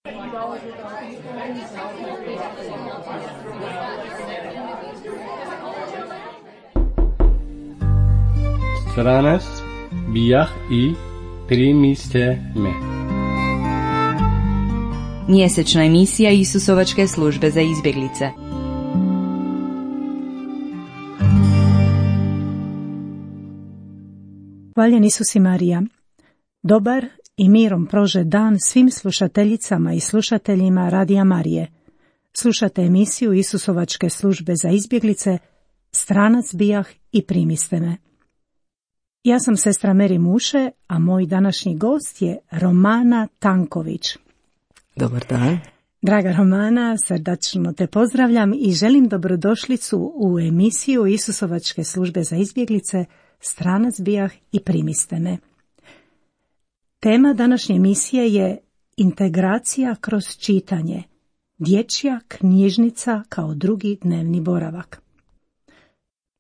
Stranac bijah i primiste me. Mjesečna emisija Isusovačke službe za izbjeglice. Hvaljen Isus i Marija. Dobar i mirom prože dan svim slušateljicama i slušateljima Radija Marije. Slušate emisiju Isusovačke službe za izbjeglice, Stranac bijah i primiste me. Ja sam sestra Meri Muše, a moj današnji gost je Romana Tanković. Dobar dan. Draga Romana, srdačno te pozdravljam i želim dobrodošlicu u emisiju Isusovačke službe za izbjeglice, Stranac bijah i primiste me. Tema današnje emisije je integracija kroz čitanje, dječja knjižnica kao drugi dnevni boravak.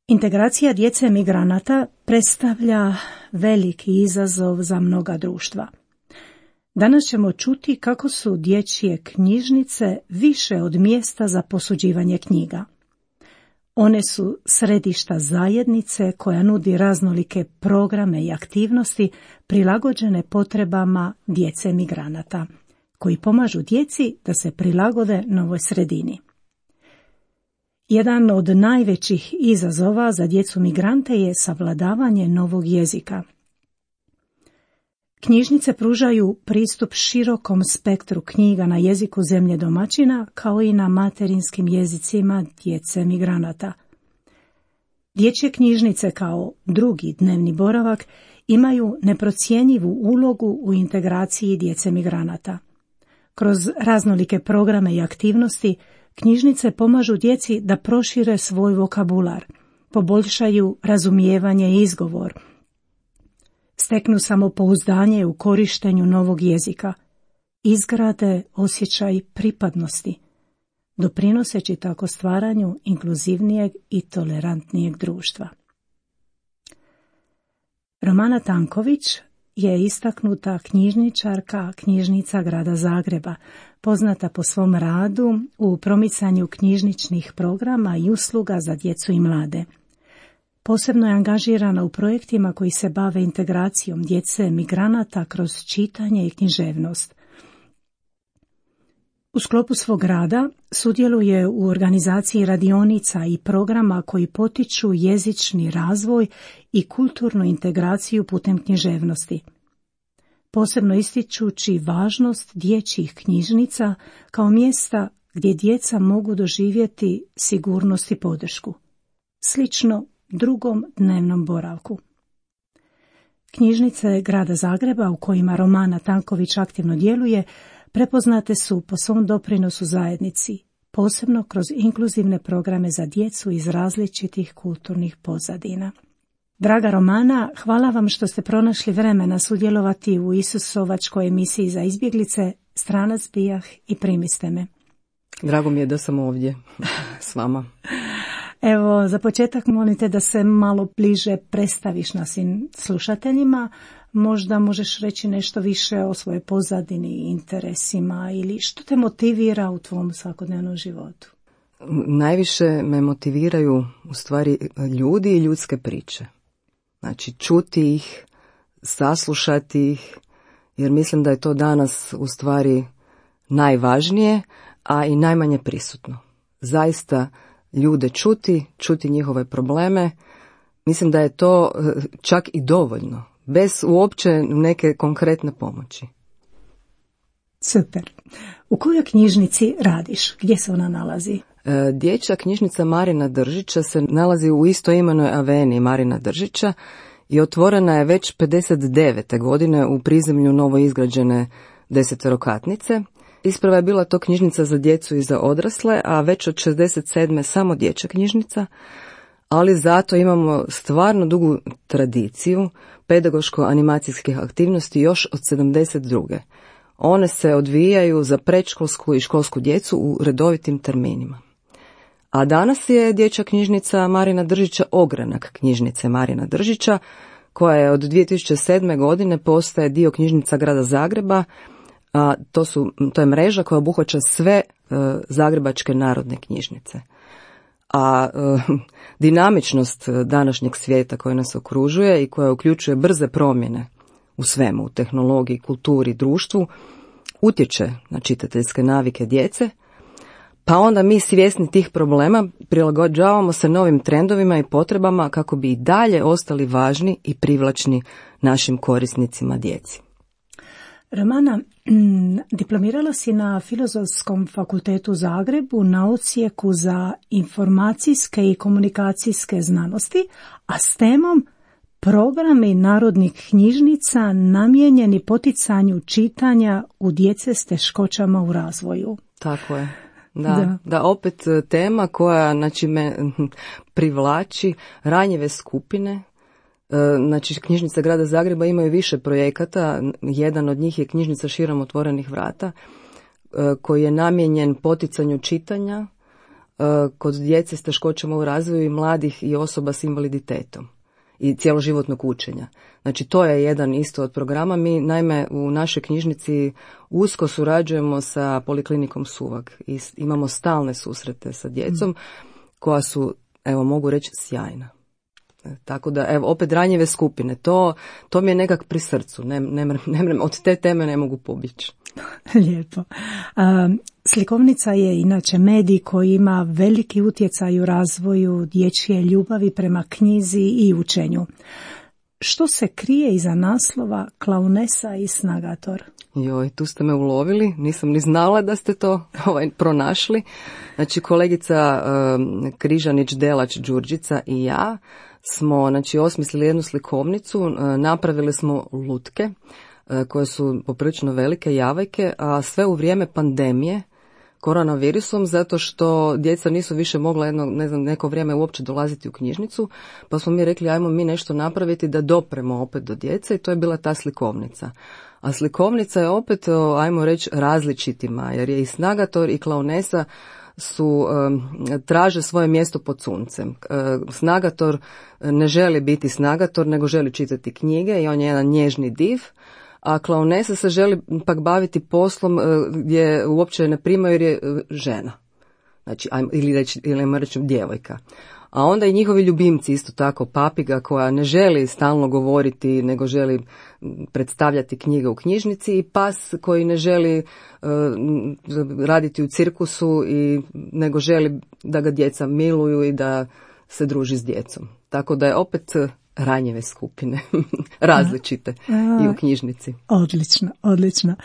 Integracija djece migranata predstavlja veliki izazov za mnoga društva. Danas ćemo čuti kako su dječje knjižnice više od mjesta za posuđivanje knjiga. One su središta zajednice koja nudi raznolike programe i aktivnosti prilagođene potrebama djece migranata, koji pomažu djeci da se prilagode novoj sredini. Jedan od najvećih izazova za djecu migrante je savladavanje novog jezika. Knjižnice pružaju pristup širokom spektru knjiga na jeziku zemlje domaćina, kao i na materinskim jezicima djece migranata. Dječje knjižnice kao drugi dnevni boravak imaju neprocjenjivu ulogu u integraciji djece migranata. Kroz raznolike programe i aktivnosti knjižnice pomažu djeci da prošire svoj vokabular, poboljšaju razumijevanje i izgovor, steknu samopouzdanje u korištenju novog jezika, izgrade osjećaj pripadnosti, doprinoseći tako stvaranju inkluzivnijeg i tolerantnijeg društva. Romana Tanković je istaknuta knjižničarka knjižnica grada Zagreba, poznata po svom radu u promicanju knjižničnih programa i usluga za djecu i mlade. Posebno je angažirana u projektima koji se bave integracijom djece migranata kroz čitanje i književnost. U sklopu svog rada sudjeluje u organizaciji radionica i programa koji potiču jezični razvoj i kulturnu integraciju putem književnosti, posebno ističući važnost dječjih knjižnica kao mjesta gdje djeca mogu doživjeti sigurnost i podršku, slično drugom dnevnom boravku. Knjižnice grada Zagreba u kojima Romana Tanković aktivno djeluje prepoznate su po svom doprinosu zajednici, posebno kroz inkluzivne programe za djecu iz različitih kulturnih pozadina. Draga Romana, hvala vam što ste pronašli vremena sudjelovati u Isusovačkoj emisiji za izbjeglice, Stranac bijah i primiste me. Drago mi je da sam ovdje s vama. Evo, za početak molim te da se malo bliže predstaviš našim slušateljima. Možda možeš reći nešto više o svojoj pozadini, interesima ili što te motivira u tvom svakodnevnom životu? Najviše me motiviraju u stvari ljudi i ljudske priče. Znači čuti ih, saslušati ih, jer mislim da je to danas u stvari najvažnije, a i najmanje prisutno. Zaista ljude čuti njihove probleme, mislim da je to čak i dovoljno, bez uopće neke konkretne pomoći. Super. U kojoj knjižnici radiš? Gdje se ona nalazi? Dječja knjižnica Marina Držića se nalazi u istoimenoj aveniji Marina Držića i otvorena je već 59. godine u prizemlju novoizgrađene 10-katnice. Isprva je bila to knjižnica za djecu i za odrasle, a već od 67. samo dječja knjižnica, ali zato imamo stvarno dugu tradiciju pedagoško-animacijskih aktivnosti još od 72. One se odvijaju za predškolsku i školsku djecu u redovitim terminima. A danas je dječja knjižnica Marina Držića ogranak knjižnice Marina Držića, koja je od 2007. godine postaje dio knjižnica grada Zagreba, a to je mreža koja obuhvaća sve zagrebačke narodne knjižnice. A dinamičnost današnjeg svijeta koji nas okružuje i koja uključuje brze promjene u svemu, u tehnologiji, kulturi, društvu, utječe na čitateljske navike djece, pa onda mi svjesni tih problema prilagođavamo se novim trendovima i potrebama kako bi i dalje ostali važni i privlačni našim korisnicima djeci. Romana, diplomirala si na Filozofskom fakultetu u Zagrebu na odsjeku za informacijske i komunikacijske znanosti, a s temom programi narodnih knjižnica namijenjeni poticanju čitanja u djece s teškoćama u razvoju. Tako je. Da, opet tema koja me privlači ranjive skupine. Znači, knjižnice Grada Zagreba imaju više projekata. Jedan od njih je knjižnica Širom otvorenih vrata, koji je namijenjen poticanju čitanja kod djece s teškoćama u razvoju i mladih i osoba s invaliditetom i cjeloživotnog učenja. Znači, to je jedan isto od programa. Mi, naime, u našoj knjižnici usko surađujemo sa Poliklinikom Suvag i imamo stalne susrete sa djecom koja su, evo, mogu reći, sjajna. Tako da, evo, opet ranjive skupine, to mi je nekak pri srcu, od te teme ne mogu pobjeći. Lijepo. Slikovnica je inače medij koji ima veliki utjecaj u razvoju dječje ljubavi prema knjizi i učenju. Što se krije iza naslova Klaunesa i Snagator? Joj, tu ste me ulovili, nisam ni znala da ste to pronašli. Znači, kolegica Križanić-Delač Đurđica i ja smo osmislili jednu slikovnicu, napravili smo lutke koje su poprilično velike javajke, a sve u vrijeme pandemije koronavirusom, zato što djeca nisu više mogla neko vrijeme uopće dolaziti u knjižnicu, pa smo mi rekli ajmo mi nešto napraviti da dopremo opet do djece i to je bila ta slikovnica. A slikovnica je opet, ajmo reći, različitima, jer je i Snagator i Klaunesa traže svoje mjesto pod suncem. Snagator ne želi biti Snagator, nego želi čitati knjige i on je jedan nježni div, a Klaunesa se želi pak baviti poslom gdje uopće ne primaju jer je žena. Znači, ili reći djevojka. A onda i njihovi ljubimci isto tako, papiga koja ne želi stalno govoriti, nego želi predstavljati knjige u knjižnici, i pas koji ne želi raditi u cirkusu nego želi da ga djeca miluju i da se druži s djecom. Tako da je opet ranjive skupine, različite i u knjižnici. Odlično.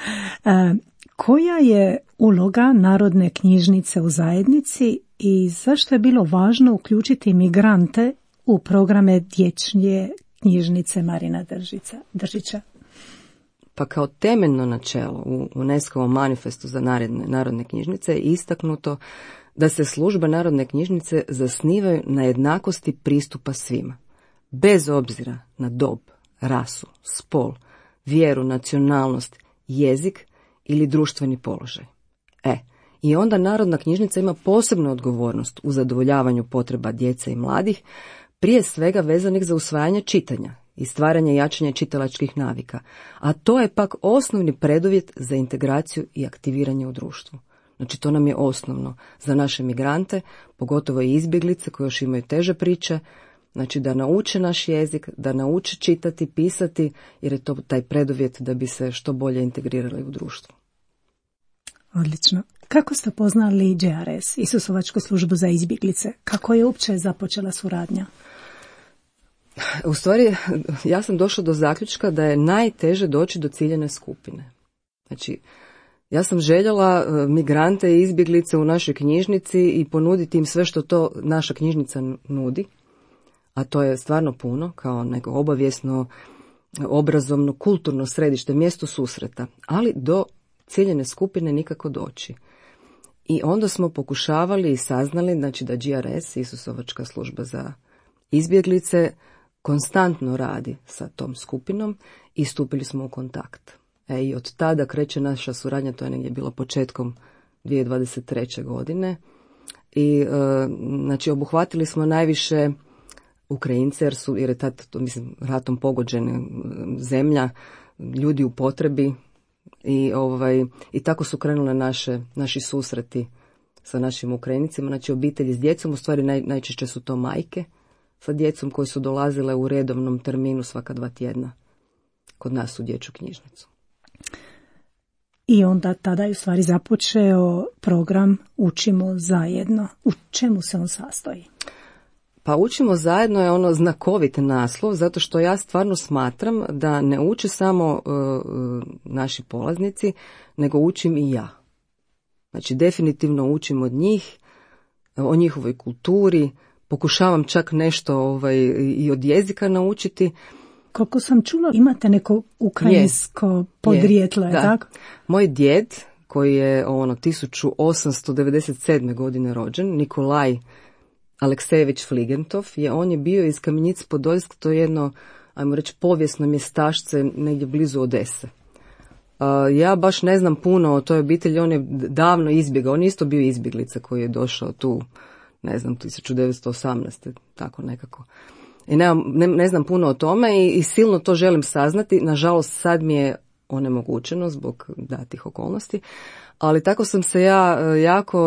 Koja je uloga Narodne knjižnice u zajednici i zašto je bilo važno uključiti migrante u programe dječje knjižnice Marina Držića? Pa kao temeljno načelo u UNESCO-ovom manifestu za narodne knjižnice je istaknuto da se službe Narodne knjižnice zasnivaju na jednakosti pristupa svima, bez obzira na dob, rasu, spol, vjeru, nacionalnost, jezik ili društveni položaj. I onda Narodna knjižnica ima posebnu odgovornost u zadovoljavanju potreba djece i mladih, prije svega vezanih za usvajanje čitanja i stvaranje i jačanje čitalačkih navika, a to je pak osnovni preduvjet za integraciju i aktiviranje u društvu. Znači, to nam je osnovno za naše migrante, pogotovo i izbjeglice koje još imaju teže priče, znači da nauče naš jezik, da nauče čitati, pisati, jer je to taj preduvjet da bi se što bolje integrirali u društvo. Odlično. Kako ste poznali JRS, Isusovačku službu za izbjeglice? Kako je uopće započela suradnja? U stvari, ja sam došla do zaključka da je najteže doći do ciljane skupine. Znači, ja sam željela migrante i izbjeglice u našoj knjižnici i ponuditi im sve što to naša knjižnica nudi, a to je stvarno puno, kao neko obavijesno, obrazovno, kulturno središte, mjesto susreta, ali do ciljene skupine nikako doći. I onda smo pokušavali i saznali, znači, da GRS, Isusovačka služba za izbjeglice, konstantno radi sa tom skupinom i stupili smo u kontakt. I od tada kreće naša suradnja, to je negdje bilo početkom 2023. godine. I znači, obuhvatili smo najviše Ukrajince, jer je tad, ratom pogođena zemlja, ljudi u potrebi, I tako su krenule naši susreti sa našim Ukrajincima, znači obitelji s djecom, u stvari najčešće su to majke sa djecom koji su dolazile u redovnom terminu svaka 2 tjedna kod nas u dječju knjižnicu. I onda tada je u stvari započeo program Učimo zajedno. U čemu se on sastoji? Pa Učimo zajedno je ono znakovit naslov, zato što ja stvarno smatram da ne uče samo naši polaznici, nego učim i ja. Znači definitivno učim od njih, o njihovoj kulturi, pokušavam čak nešto i od jezika naučiti. Koliko sam čula, imate neko ukrajinsko podrijetlo, je tako? Moj djed, koji je 1897. godine rođen, Nikolaj Aleksejević Fligentov, on je bio iz Kamenic Podoljsk, to je jedno, ajmo reći, povijesno mjestašce negdje blizu Odese. Ja baš ne znam puno o toj obitelji, on je davno izbjegao, on je isto bio izbjeglica koji je došao tu, ne znam, 1918. tako nekako. I ne znam puno o tome i silno to želim saznati, nažalost sad mi je onemogućeno zbog datih okolnosti, ali tako sam se ja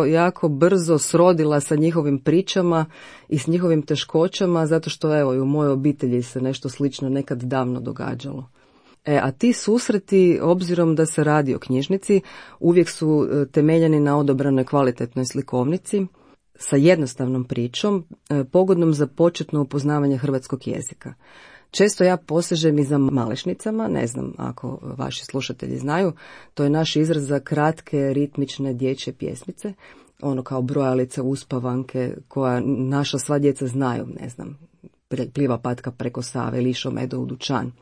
jako brzo srodila sa njihovim pričama i s njihovim teškoćama, zato što evo i u mojoj obitelji se nešto slično nekad davno događalo. A ti susreti, obzirom da se radi o knjižnici, uvijek su temeljeni na odobranoj kvalitetnoj slikovnici, sa jednostavnom pričom, pogodnom za početno upoznavanje hrvatskog jezika. Često ja posežem i za malešnicama, ne znam ako vaši slušatelji znaju, to je naš izraz za kratke ritmične dječje pjesmice, ono kao brojalice, uspavanke, koja naša sva djeca znaju, ne znam, pliva patka preko Save ili išao medo u dućan,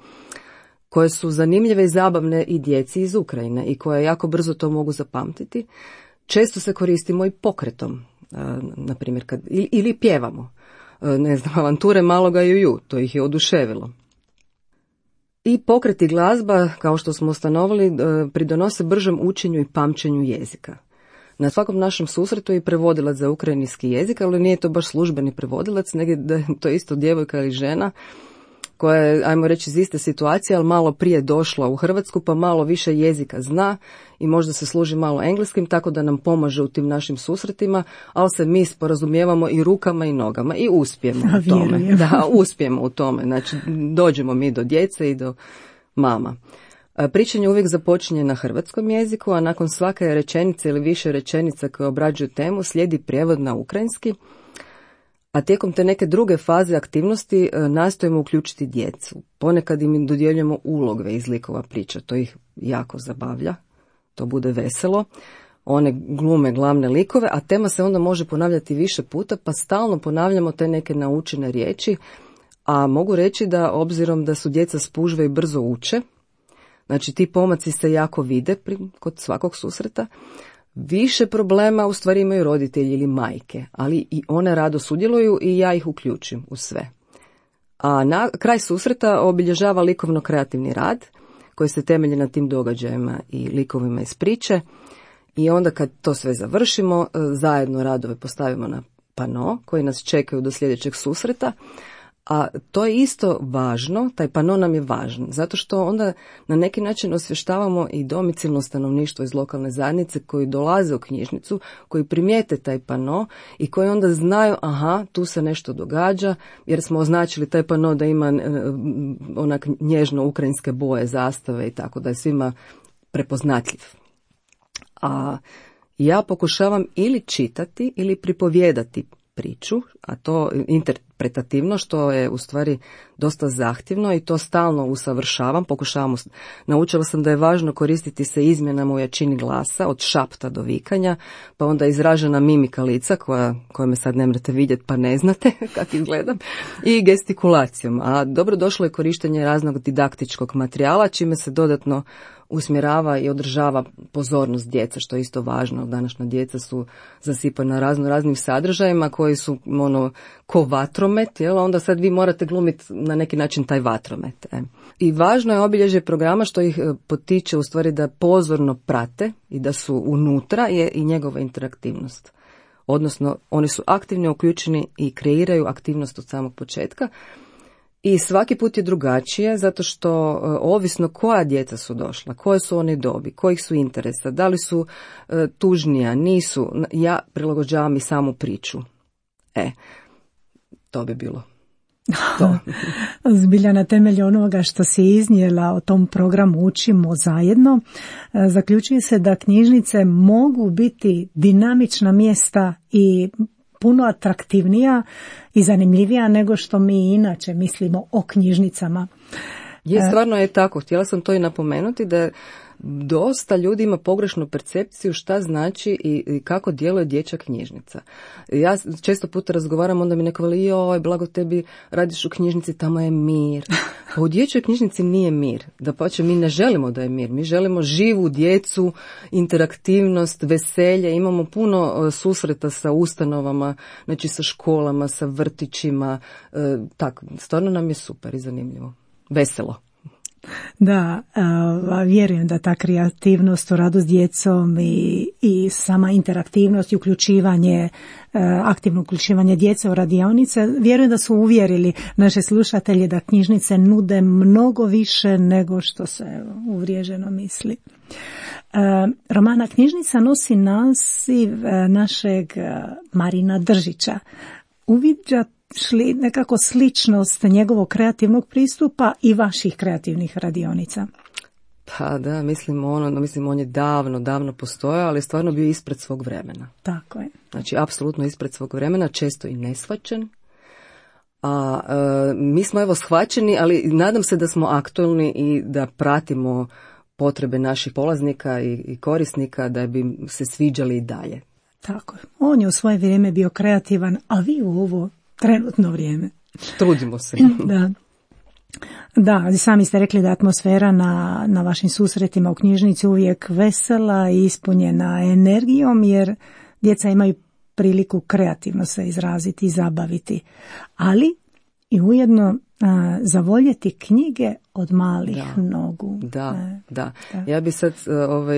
koje su zanimljive i zabavne i djeci iz Ukrajine i koje jako brzo to mogu zapamtiti. Često se koristimo i pokretom, na primjer, ili pjevamo. Ne znam, avanture maloga Juju, to ih je oduševilo. I pokret i glazba, kao što smo ustanovili, pridonose bržem učenju i pamćenju jezika. Na svakom našem susretu je prevodilac za ukrajinski jezik, ali nije to baš službeni prevodilac, nego da je to isto djevojka ili žena koja je, ajmo reći, iz iste situacije, ali malo prije došla u Hrvatsku, pa malo više jezika zna i možda se služi malo engleskim, tako da nam pomaže u tim našim susretima, ali se mi sporazumijevamo i rukama i nogama i uspijemo u tome. Da, uspijemo u tome. Znači, dođemo mi do djece i do mama. Pričanje uvijek započinje na hrvatskom jeziku, a nakon svake rečenice ili više rečenica koje obrađuju temu slijedi prijevod na ukrajinski, a tijekom te neke druge faze aktivnosti nastojimo uključiti djecu. Ponekad im dodjeljujemo ulogve iz likova priča, to ih jako zabavlja, to bude veselo. One glume glavne likove, a tema se onda može ponavljati više puta, pa stalno ponavljamo te neke naučene riječi, a mogu reći da obzirom da su djeca spužve i brzo uče, znači ti pomaci se jako vide kod svakog susreta, više problema u stvari imaju roditelji ili majke, ali i one rado sudjeluju i ja ih uključim u sve. A na kraj susreta obilježava likovno-kreativni rad koji se temelji na tim događajima i likovima iz priče i onda kad to sve završimo, zajedno radove postavimo na pano koji nas čekaju do sljedećeg susreta. A to je isto važno, taj pano nam je važan, zato što onda na neki način osvještavamo i domicilno stanovništvo iz lokalne zajednice koji dolaze u knjižnicu, koji primijete taj pano i koji onda znaju, aha, tu se nešto događa, jer smo označili taj pano da ima onak nježno ukrajinske boje, zastave i tako, da je svima prepoznatljiv. A ja pokušavam ili čitati ili pripovijedati priču, a to interpretativno, što je u stvari dosta zahtjevno i to stalno usavršavam, naučila sam da je važno koristiti se izmjenama u jačini glasa, od šapta do vikanja, pa onda izražena mimika lica, koja me sad ne morate vidjeti pa ne znate kako izgledam, i gestikulacijom. A dobro došlo je korištenje raznog didaktičkog materijala, čime se dodatno usmjerava i održava pozornost djeca, što je isto važno. Današnja djeca su zasipana raznim sadržajima koji su ko vatromet, onda sad vi morate glumiti na neki način taj vatromet. I važno je obilježje programa što ih potiče u stvari da pozorno prate i da su unutra je i njegova interaktivnost. Odnosno, oni su aktivno uključeni i kreiraju aktivnost od samog početka. I svaki put je drugačije, zato što ovisno koja djeca su došla, koje su one dobi, kojih su interesa, da li su tužnija, nisu, ja prilagođavam i samu priču. To bi bilo to. Zbilja na temelju onoga što si iznijela o tom programu Učimo zajedno, zaključuje se da knjižnice mogu biti dinamična mjesta i puno atraktivnija i zanimljivija nego što mi inače mislimo o knjižnicama. Stvarno je tako. Htjela sam to i napomenuti da dosta ljudi ima pogrešnu percepciju šta znači i kako djeluje dječja knjižnica. Ja često puta razgovaram, onda mi neko veli, joj, blago tebi, radiš u knjižnici, tamo je mir. Pa u dječjoj knjižnici nije mir. Dapače, mi ne želimo da je mir. Mi želimo živu djecu, interaktivnost, veselje. Imamo puno susreta sa ustanovama, znači sa školama, sa vrtićima. Tako, stvarno nam je super i zanimljivo. Veselo. Da, vjerujem da ta kreativnost u radu s djecom i sama interaktivnost i uključivanje, aktivno uključivanje djece u radionice, vjerujem da su uvjerili naše slušatelje da knjižnice nude mnogo više nego što se uvriježeno misli. Romana Knjižnica nosi naziv našeg Marina Držića. Uviđate šli nekako sličnost njegovog kreativnog pristupa i vaših kreativnih radionica? Pa da, mislim on je davno postojao, ali stvarno bio ispred svog vremena. Tako je. Znači, apsolutno ispred svog vremena, često i neshvaćen. A mi smo evo shvaćeni, ali nadam se da smo aktualni i da pratimo potrebe naših polaznika i korisnika da bi se sviđali i dalje. Tako je. On je u svoje vrijeme bio kreativan, a vi u ovo trenutno vrijeme. Trudimo se. Da, sami ste rekli da je atmosfera na vašim susretima u knjižnici uvijek vesela i ispunjena energijom, jer djeca imaju priliku kreativno se izraziti i zabaviti. Ali i ujedno zavoljeti knjige od malih nogu. Da. Ja bi sad,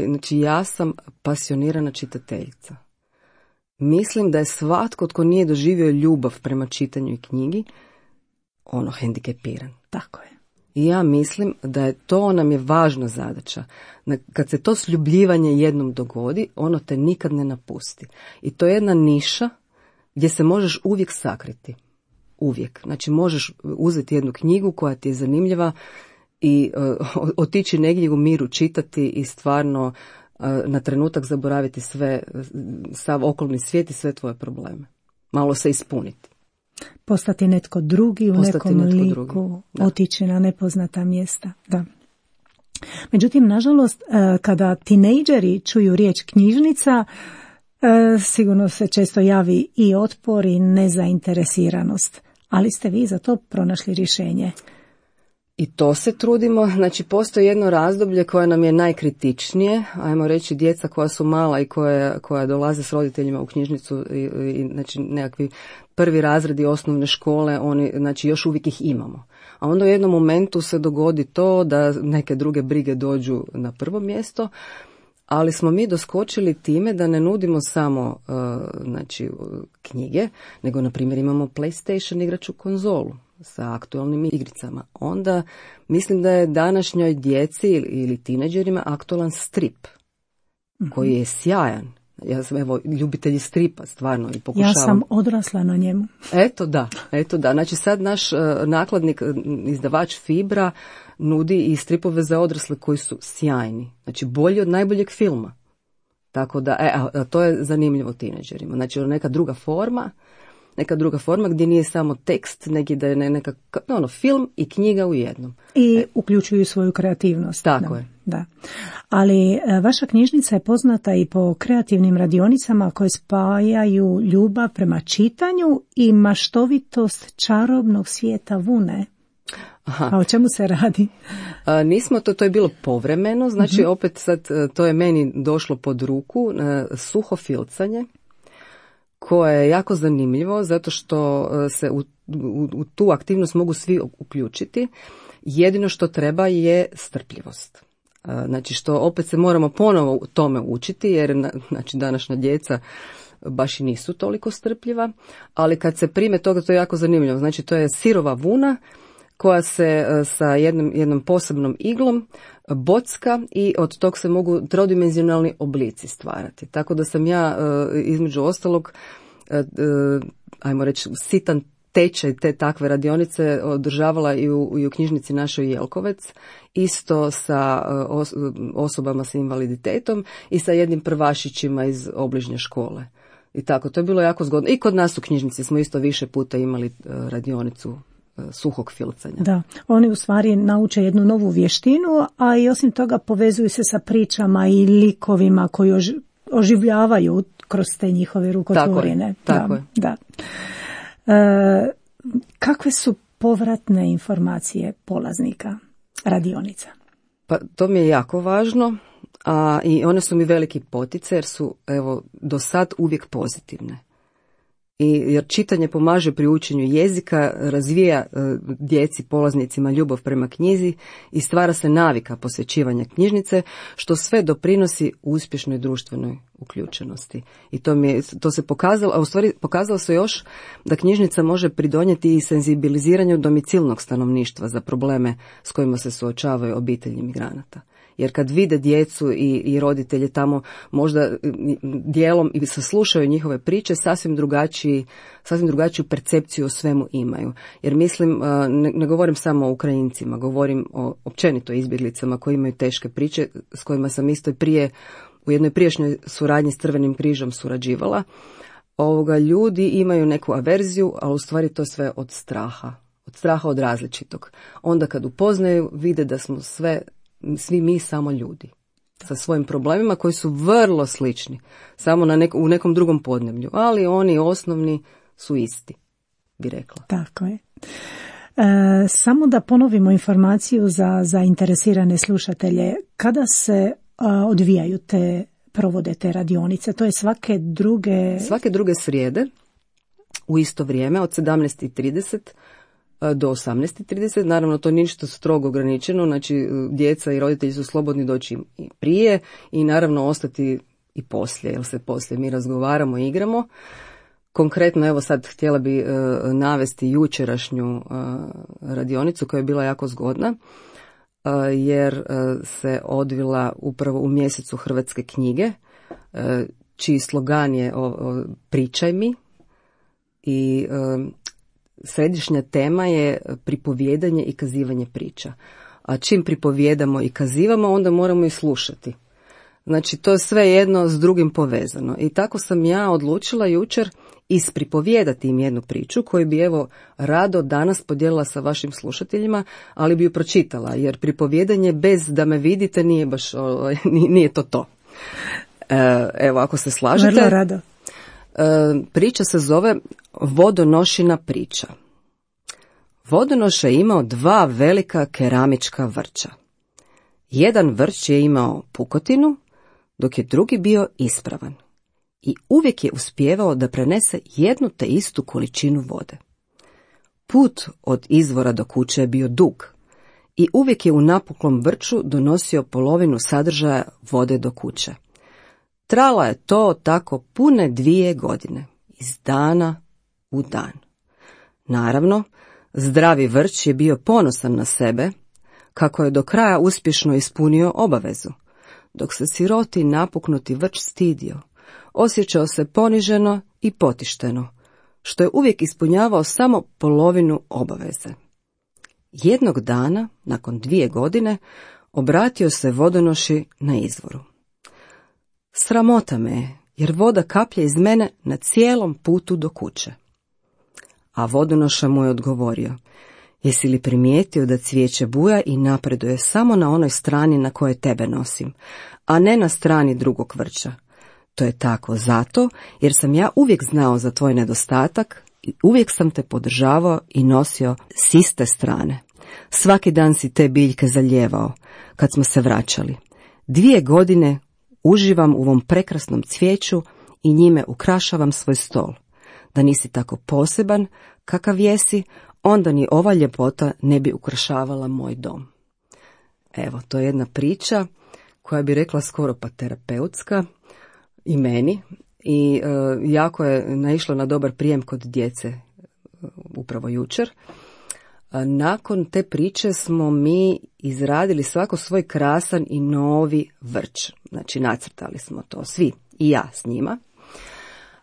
znači ja sam pasionirana čitateljica. Mislim da je svatko tko nije doživio ljubav prema čitanju i knjigi, hendikepiran. Tako je. I ja mislim da je to nam je važna zadaća. Kad se to sljubljivanje jednom dogodi, ono te nikad ne napusti. I to je jedna niša gdje se možeš uvijek sakriti. Uvijek. Znači možeš uzeti jednu knjigu koja ti je zanimljiva i otići negdje u miru čitati i stvarno na trenutak zaboraviti sav okolni svijet i sve tvoje probleme. Malo se ispuniti. Postati netko drugi u nekom liku, otići na nepoznata mjesta. Da. Međutim, nažalost, kada tinejdžeri čuju riječ knjižnica, sigurno se često javi i otpor i nezainteresiranost. Ali ste vi za to pronašli rješenje. I to se trudimo, znači postoji jedno razdoblje koje nam je najkritičnije, ajmo reći djeca koja su mala i koja dolaze s roditeljima u knjižnicu i znači nekakvi prvi razredi osnovne škole, oni znači još uvijek ih imamo. A onda u jednom momentu se dogodi to da neke druge brige dođu na prvo mjesto, ali smo mi doskočili time da ne nudimo samo znači knjige, nego na primjer imamo PlayStation igraču konzolu sa aktualnim igricama. Onda mislim da je današnjoj djeci ili tineđerima aktualan strip koji je sjajan. Ja sam ljubitelji stripa stvarno i pokušavam. Ja sam odrasla na njemu. Eto da. Znači sad naš nakladnik, izdavač Fibra nudi i stripove za odrasle koji su sjajni. Znači bolji od najboljeg filma. Tako da, to je zanimljivo tineđerima. Znači neka druga forma gdje nije samo tekst, nego da je neka film i knjiga u jednom. I uključuju svoju kreativnost. Tako je. Da. Ali vaša knjižnica je poznata i po kreativnim radionicama koje spajaju ljubav prema čitanju i maštovitost čarobnog svijeta vune. Aha. A o čemu se radi? Nismo, to je bilo povremeno, znači opet sad to je meni došlo pod ruku, suho filcanje, koje je jako zanimljivo zato što se u tu aktivnost mogu svi uključiti. Jedino što treba je strpljivost. Znači što opet se moramo ponovo tome učiti jer znači današnja djeca baš i nisu toliko strpljiva, ali kad se prime toga to je jako zanimljivo. Znači to je sirova vuna koja se sa jednom posebnom iglom bocka i od tog se mogu trodimenzionalni oblici stvarati. Tako da sam ja između ostalog, ajmo reći, sitan tečaj te takve radionice održavala i u knjižnici našoj Jelkovec, isto sa osobama s invaliditetom i sa jednim prvašićima iz obližnje škole. I tako, to je bilo jako zgodno. I kod nas u knjižnici smo isto više puta imali radionicu suhog filcanja. Da, oni u stvari nauče jednu novu vještinu, a i osim toga povezuju se sa pričama i likovima koji oživljavaju kroz te njihove rukotvorine. Tako je. Da. Kakve su povratne informacije polaznika radionica? Pa to mi je jako važno, i one su mi veliki poticaj jer su do sad uvijek pozitivne. Jer čitanje pomaže pri učenju jezika, razvija djeci, polaznicima ljubav prema knjizi i stvara se navika posvećivanja knjižnice, što sve doprinosi uspješnoj društvenoj uključenosti. I to se pokazalo, a u stvari pokazalo se još da knjižnica može pridonijeti i senzibiliziranju domicilnog stanovništva za probleme s kojima se suočavaju obitelji migranata. Jer kad vide djecu i roditelje tamo, možda dijelom i saslušaju njihove priče, sasvim drugačiju percepciju o svemu imaju. Jer mislim, ne govorim samo o Ukrajincima, govorim o općenito izbjeglicama koji imaju teške priče, s kojima sam isto prije u jednoj prijašnjoj suradnji s Crvenim križom surađivala. Ljudi imaju neku averziju, ali u stvari to sve od straha od različitog. Onda kad upoznaju, vide da smo svi mi samo ljudi sa svojim problemima koji su vrlo slični, samo u nekom drugom podneblju, ali oni osnovni su isti, bi rekla. Tako je. Samo da ponovimo informaciju za zainteresirane slušatelje. Kada se provode te radionice? To je svake druge srijede u isto vrijeme od 17:30 do 18:30. Naravno, to nije ništa strogo ograničeno, znači djeca i roditelji su slobodni doći i prije i naravno ostati i poslije, jer se poslije mi razgovaramo i igramo. Konkretno, evo sad htjela bi navesti jučerašnju radionicu koja je bila jako zgodna, jer se odvila upravo u mjesecu Hrvatske knjige, čiji slogan je Pričaj mi, i središnja tema je pripovijedanje i kazivanje priča. A čim pripovijedamo i kazivamo, onda moramo i slušati. Znači, to je sve jedno s drugim povezano. I tako sam ja odlučila jučer ispripovijedati im jednu priču koju bi rado danas podijelila sa vašim slušateljima, ali bi ju pročitala, jer pripovijedanje bez da me vidite nije baš, nije to. Evo, ako se slažete. Vrlo rado. Priča se zove Vodonošina priča. Vodonoša je imao 2 velika keramička vrča. Jedan vrč je imao pukotinu, dok je drugi bio ispravan. I uvijek je uspijevao da prenese jednu te istu količinu vode. Put od izvora do kuće je bio dug i uvijek je u napuklom vrču donosio polovinu sadržaja vode do kuće. Trala je to tako pune 2 godine, iz dana u dan. Naravno, zdravi vrč je bio ponosan na sebe, kako je do kraja uspješno ispunio obavezu, dok se siroti napuknuti vrč stidio, osjećao se poniženo i potišteno, što je uvijek ispunjavao samo polovinu obaveze. Jednog dana, nakon 2 godine, obratio se vodonoši na izvoru. Sramota me je, jer voda kaplje iz mene na cijelom putu do kuće. A vodonoša mu je odgovorio, jesi li primijetio da cvijeće buja i napreduje samo na onoj strani na kojoj tebe nosim, a ne na strani drugog vrča? To je tako zato jer sam ja uvijek znao za tvoj nedostatak i uvijek sam te podržavao i nosio s iste strane. Svaki dan si te biljke zalijevao kad smo se vraćali. 2 godine uživam u ovom prekrasnom cvijeću i njime ukrašavam svoj stol. Da nisi tako poseban kakav jesi, onda ni ova ljepota ne bi ukrašavala moj dom. Evo, to je jedna priča koja bi rekla skoro pa terapeutska i meni i jako je naišla na dobar prijem kod djece upravo jučer. Nakon te priče smo mi izradili svako svoj krasan i novi vrč. Znači nacrtali smo to svi i ja s njima.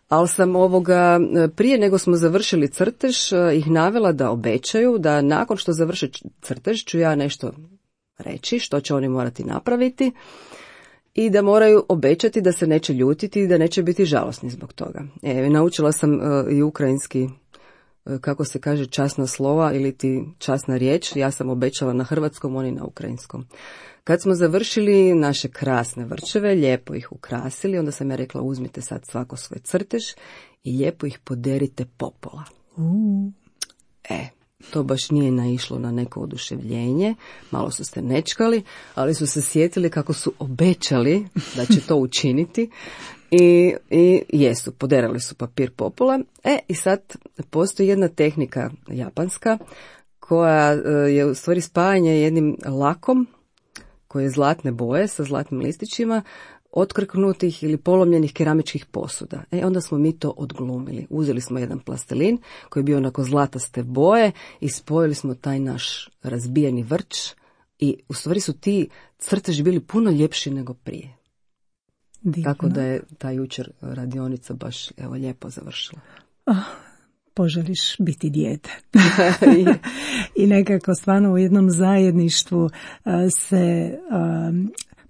Ali sam prije nego smo završili crtež ih navela da obećaju da nakon što završe crtež ću ja nešto reći što će oni morati napraviti i da moraju obećati da se neće ljutiti i da neće biti žalosni zbog toga. Naučila sam i ukrajinski, kako se kaže, časna slova ili ti časna riječ. Ja sam obećala na hrvatskom, oni na ukrajinskom. Kad smo završili naše krasne vrčeve, lijepo ih ukrasili, onda sam ja rekla uzmite sad svako svoj crtež i lijepo ih poderite popola. To baš nije naišlo na neko oduševljenje, malo su se nečkali, ali su se sjetili kako su obećali da će to učiniti i jesu, poderali su papir popola. I sad postoji jedna tehnika japanska koja je u stvari spajanje jednim lakom koji je zlatne boje sa zlatnim listićima, otkrknutih ili polomljenih keramičkih posuda. Onda smo mi to odglumili. Uzeli smo jedan plastelin koji je bio onako zlataste boje i spojili smo taj naš razbijeni vrč i u stvari su ti crteži bili puno ljepši nego prije. Divno. Tako da je ta jučer radionica baš lijepo završila. Poželiš biti dijete. I nekako stvarno u jednom zajedništvu se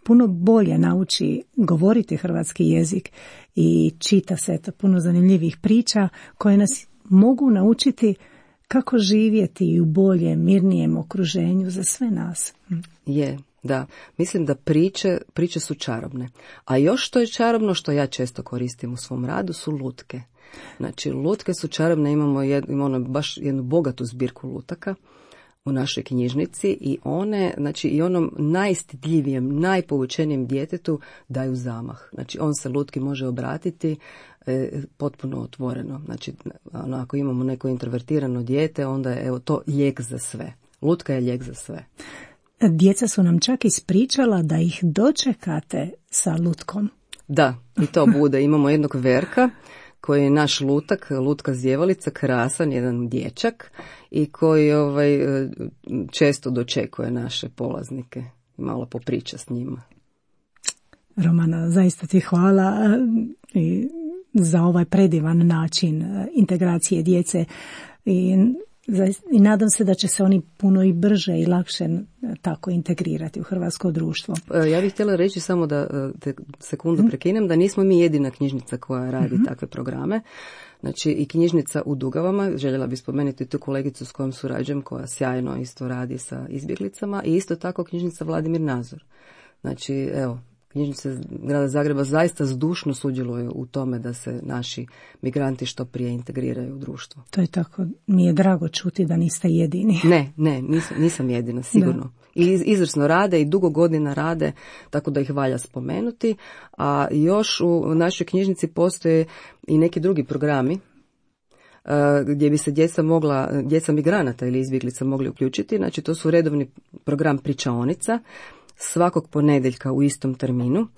puno bolje nauči govoriti hrvatski jezik i čita se puno zanimljivih priča koje nas mogu naučiti kako živjeti u boljem, mirnijem okruženju za sve nas. Da, mislim da priče su čarobne. A još što je čarobno, što ja često koristim u svom radu, su lutke. Znači, lutke su čarobne, imamo baš jednu bogatu zbirku lutaka u našoj knjižnici i one, znači i onom najstidljivijem, najpovučenijem djetetu daju zamah. Znači, on se lutki može obratiti potpuno otvoreno. Znači, ako imamo neko introvertirano dijete, onda je to lijek za sve. Lutka je lijek za sve. Djeca su nam čak ispričala da ih dočekate sa lutkom. Da, i to bude. Imamo jednog Verka koji je naš lutka zjevalica, krasan, jedan dječak i koji često dočekuje naše polaznike i malo popriča s njima. Romana, zaista ti hvala za ovaj predivan način integracije djece i nadam se da će se oni puno i brže i lakše tako integrirati u hrvatsko društvo. Ja bih htjela reći samo da te sekundu prekinem, da nismo mi jedina knjižnica koja radi takve programe. Znači i knjižnica u Dugavama, željela bih spomenuti tu kolegicu s kojom surađujem, koja sjajno isto radi sa izbjeglicama, i isto tako knjižnica Vladimir Nazor. Znači, evo, knjižnice grada Zagreba zaista zdušno sudjeluju u tome da se naši migranti što prije integriraju u društvo. To je tako, mi je drago čuti da niste jedini. Ne, nisam jedina, sigurno. Da. I izvrsno rade i dugo godina rade, tako da ih valja spomenuti. A još u našoj knjižnici postoje i neki drugi programi gdje bi se djeca migranata ili izbjeglica mogli uključiti. Znači, to su redovni program pričaonica svakog ponedjeljka u istom terminu.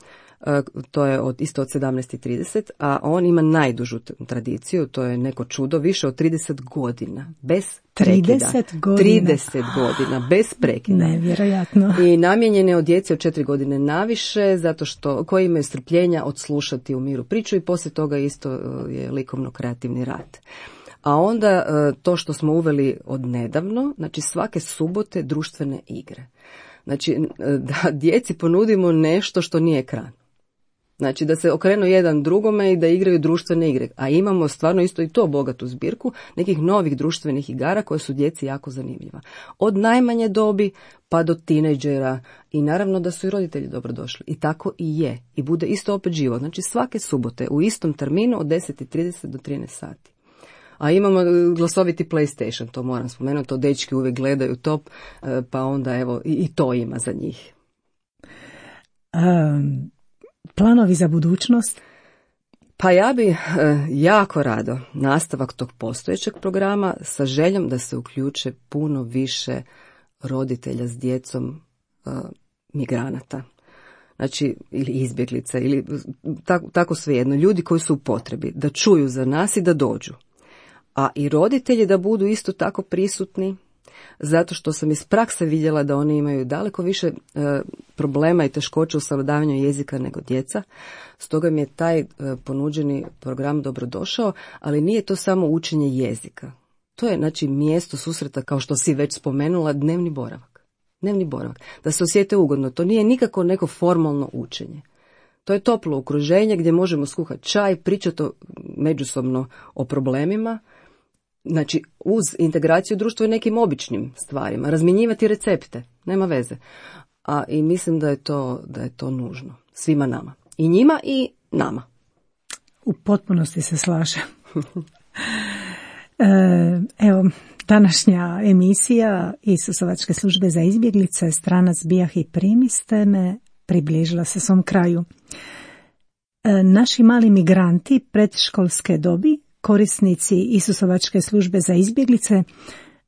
To je isto od 17:30, a on ima najdužu tradiciju, to je neko čudo, više od 30 godina, bez prekida. 30 godina? 30 godina, bez prekida. Nevjerojatno. I namijenjen je od djece od 4 godine naviše, zato što koji imaju strpljenja odslušati u miru priču i poslije toga isto je likovno-kreativni rad. A onda to što smo uveli od nedavno, znači svake subote društvene igre. Znači, da djeci ponudimo nešto što nije ekran. Znači, da se okrenu jedan drugome i da igraju društvene igre. A imamo stvarno isto i to bogatu zbirku nekih novih društvenih igara koje su djeci jako zanimljiva. Od najmanje dobi pa do tinejdžera i naravno da su i roditelji dobrodošli. I tako i je. I bude isto opet živo. Znači, svake subote u istom terminu od 10:30 do 13 sati. A imamo glasoviti PlayStation, to moram spomenuti, to dečki uvijek gledaju top, pa onda evo i to ima za njih. Planovi za budućnost? Pa ja bi jako rado nastavak tog postojećeg programa sa željom da se uključe puno više roditelja s djecom migranata. Znači, ili izbjeglica, ili tako svejedno, ljudi koji su u potrebi, da čuju za nas i da dođu. A i roditelji da budu isto tako prisutni zato što sam iz prakse vidjela da oni imaju daleko više problema i teškoća u savladavanju jezika nego djeca. Stoga mi je taj ponuđeni program dobrodošao, ali nije to samo učenje jezika. To je znači mjesto susreta, kao što si već spomenula, dnevni boravak. Dnevni boravak. Da se osjete ugodno. To nije nikako neko formalno učenje. To je toplo okruženje gdje možemo skuhati čaj, pričati međusobno o problemima, znači uz integraciju društva i nekim običnim stvarima, razmjenjivati recepte, nema veze. I mislim da je to nužno svima nama. I njima i nama. U potpunosti se slažem. Evo, današnja emisija Isusovačke službe za izbjeglice, Stranac bijah i primiste me, približila se svom kraju. Naši mali migranti predškolske dobi, korisnici Isusovačke službe za izbjeglice,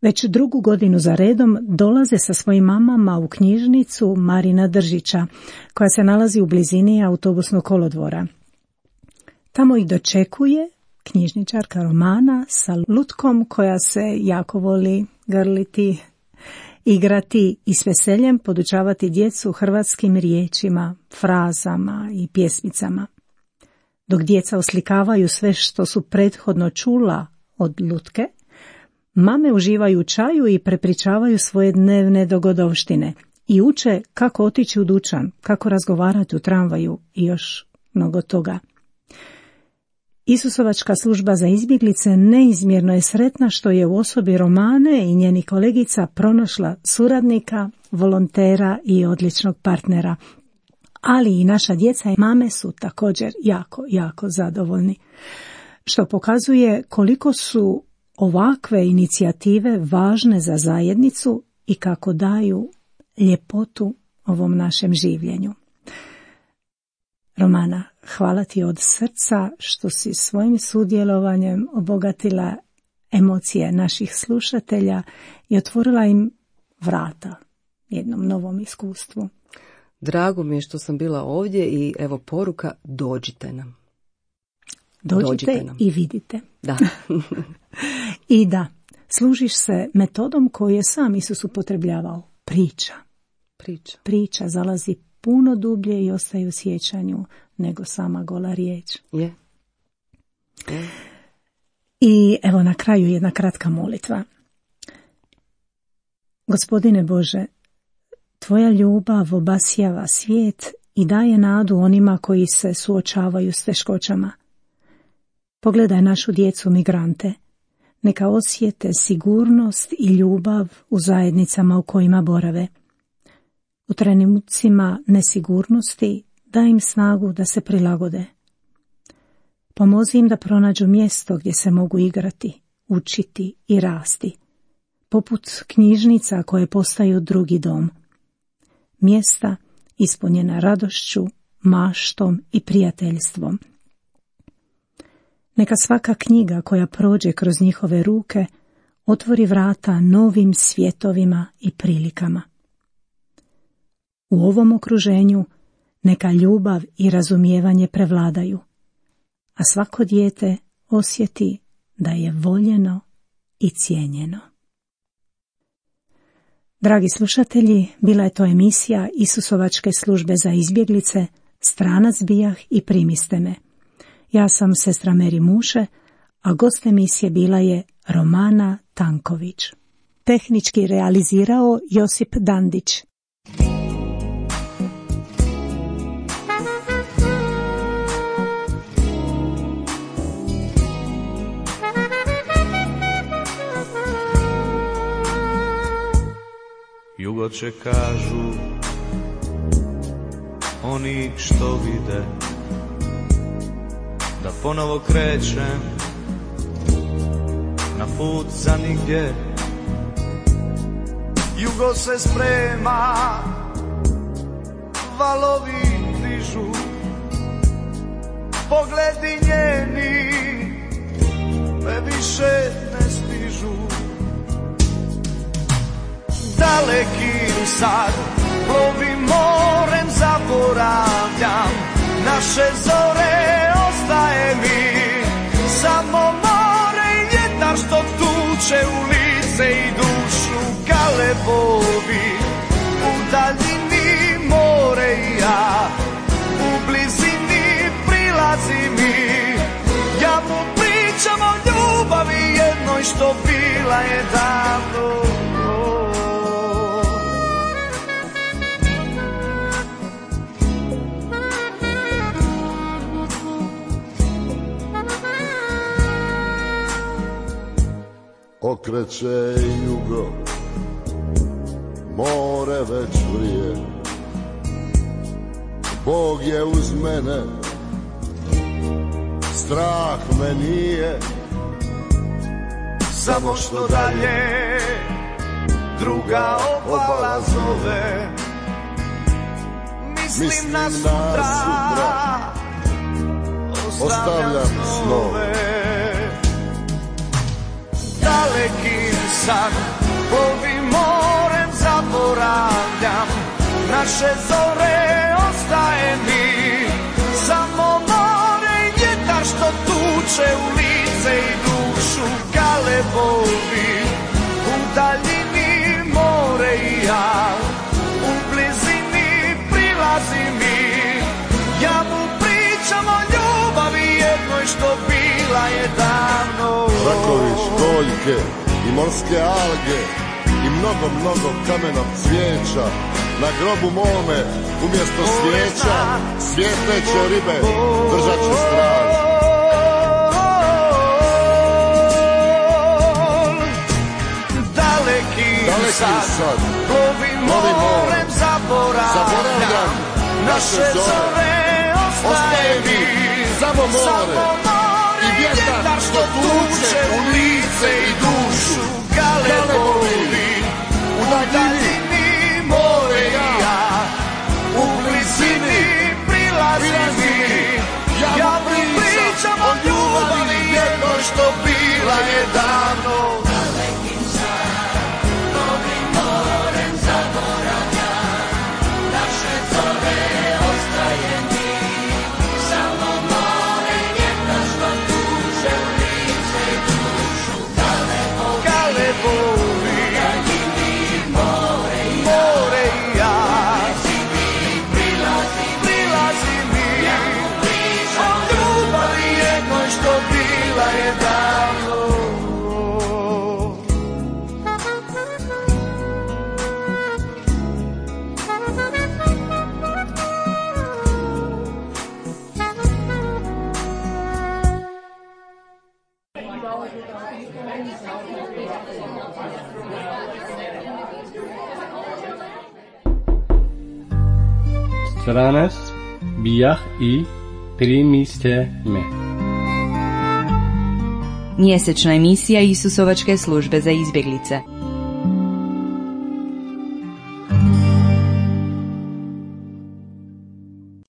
već 2. godinu za redom dolaze sa svojim mamama u knjižnicu Marina Držića, koja se nalazi u blizini autobusnog kolodvora. Tamo ih dočekuje knjižničarka Romana sa lutkom koja se jako voli grliti, igrati i s veseljem podučavati djecu hrvatskim riječima, frazama i pjesmicama. Dok djeca oslikavaju sve što su prethodno čula od lutke, mame uživaju u čaju i prepričavaju svoje dnevne dogodovštine i uče kako otići u dućan, kako razgovarati u tramvaju i još mnogo toga. Isusovačka služba za izbjeglice neizmjerno je sretna što je u osobi Romane i njenih kolegica pronašla suradnika, volontera i odličnog partnera. Ali i naša djeca i mame su također jako zadovoljni, što pokazuje koliko su ovakve inicijative važne za zajednicu i kako daju ljepotu ovom našem življenju. Romana, hvala ti od srca što si svojim sudjelovanjem obogatila emocije naših slušatelja i otvorila im vrata jednom novom iskustvu. Drago mi je što sam bila ovdje i evo poruka, dođite nam. Dođite nam i vidite. Da. I da, služiš se metodom koju je sam Isus upotrebljavao. Priča zalazi puno dublje i ostaje u sjećanju nego sama gola riječ. Je. I evo na kraju jedna kratka molitva. Gospodine Bože, tvoja ljubav obasjava svijet i daje nadu onima koji se suočavaju s teškoćama. Pogledaj našu djecu migrante. Neka osjete sigurnost i ljubav u zajednicama u kojima borave. U trenucima nesigurnosti daj im snagu da se prilagode. Pomozi im da pronađu mjesto gdje se mogu igrati, učiti i rasti, poput knjižnica koje postaju drugi dom. Mjesta ispunjena radošću, maštom i prijateljstvom. Neka svaka knjiga koja prođe kroz njihove ruke otvori vrata novim svjetovima i prilikama. U ovom okruženju neka ljubav i razumijevanje prevladaju, a svako dijete osjeti da je voljeno i cijenjeno. Dragi slušatelji, bila je to emisija Isusovačke službe za izbjeglice, Stranac bijah i primiste me. Ja sam sestra Meri Muše, a gost emisije bila je Romana Tanković. Tehnički realizirao Josip Dandić. Jugo će kažu oni što vide, da ponovo krećem na put za nigdje. Jugo se sprema, valovi dižu, pogledi njeni me više ne stižu. Dalekim sad plovim morem, zaboravljam naše zore, ostaje mi samo more i vjetar što tuče u lice i dušu bila je davno. Okreće jugo, more već vrije, Bog je uz mene, strah me nije. Samo što dalje druga obala zove, mislim na sutra, ostavljam snove. Dalekim san, plovim morem, zaboravljam naše zore, ostaje mi samo more i vjetar što tuče u lice i dušu. Galebovi, u daljini more i ja, u blizini prilazi mi. Ja mu pričam o ljubavi jednoj što bila je davno. Rakovi, školjke i morske alge i mnogo kamenog cvijeća. Na grobu mome umjesto svijeća svijetleće ribe držat će straž. Daleki sad, plovim morem, zaboravljam naše zore, ostaje mi samo more i vjetar što tuče u lice i dušu. Galebovi, u daljini more i ja, u blizini prilazi mi. Ja mu pričam o ljubavi jednoj što bila je davno. Stranac bijah i primiste me. Mjesečna emisija Isusovačke službe za izbjeglice.